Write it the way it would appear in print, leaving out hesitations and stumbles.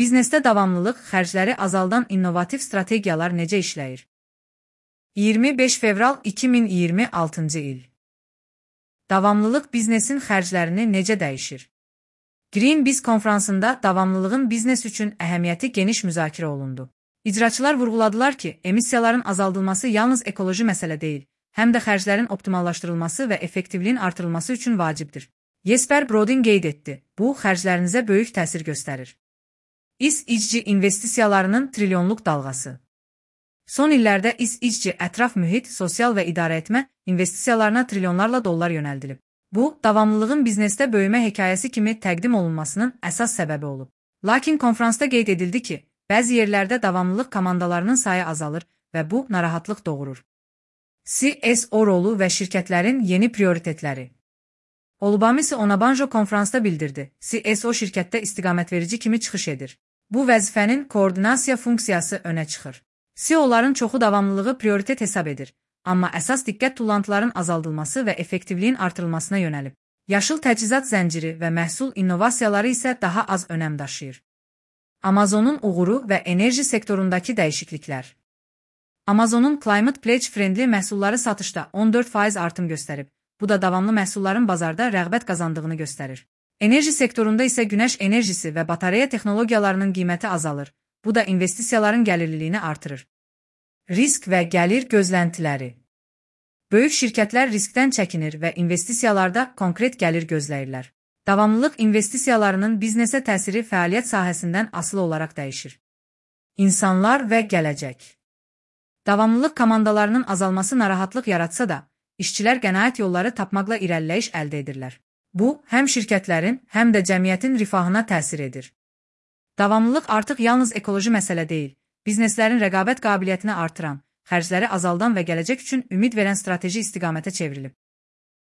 Biznesdə davamlılıq xərcləri azaldan innovativ strategiyalar necə işləyir? 25 fevral 2026-cı il. Davamlılıq biznesin xərclərini necə dəyişir? Greenbiz konfransında davamlılığın biznes üçün əhəmiyyəti geniş müzakirə olundu. İcraçılar vurğuladılar ki, emissiyaların azaldılması yalnız ekoloji məsələ deyil, həm də xərclərin optimallaşdırılması və effektivliyin artırılması üçün vacibdir. Jesper Brodin qeyd etdi, bu xərclərinizə böyük təsir göstərir. İSİC investisiyalarının trilyonluq dalğası. Son illərdə İSİC ətraf mühit, sosial və idarəetmə investisiyalarına trilyonlarla dollar yönəldilib. Bu, davamlılığın biznesdə böyümə hekayəsi kimi təqdim olunmasının əsas səbəbi olub. Lakin konfransda qeyd edildi ki, bəzi yerlərdə davamlılıq komandalarının sayı azalır və bu narahatlıq doğurur. CSO rolu və şirkətlərin yeni prioritetləri. Olubamisi Onabanjo konfransda bildirdi, CSO şirkətdə istiqamətverici kimi çıxış edir. Bu vəzifənin koordinasiya funksiyası önə çıxır. CEO'ların çoxu davamlılığı prioritet hesab edir, amma əsas diqqət tullantıların azaldılması və effektivliyin artırılmasına yönəlib. Yaşıl təchizat zənciri və məhsul innovasiyaları isə daha az önəm daşıyır. Amazonun uğuru və enerji sektorundakı dəyişikliklər. Amazonun Climate Pledge Friendly məhsulları satışda 14% artım göstərib. Bu da davamlı məhsulların bazarda rəğbət qazandığını göstərir. Enerji sektorunda isə günəş enerjisi və batareya texnologiyalarının qiyməti azalır. Bu da investisiyaların gəlirliliyini artırır. Risk və gəlir gözləntiləri. Böyük şirkətlər riskdən çəkinir və investisiyalarda konkret gəlir gözləyirlər. Davamlılıq investisiyalarının biznesə təsiri fəaliyyət sahəsindən asılı olaraq dəyişir. İnsanlar və gələcək. Davamlılıq komandalarının azalması narahatlıq yaratsa da, işçilər qənaət yolları tapmaqla irəliləyiş əldə edirlər. Bu, həm şirkətlərin, həm də cəmiyyətin rifahına təsir edir. Davamlılıq artıq yalnız ekoloji məsələ deyil, bizneslərin rəqabət qabiliyyətini artıran, xərcləri azaldan və gələcək üçün ümid verən strateji istiqamətə çevrilib.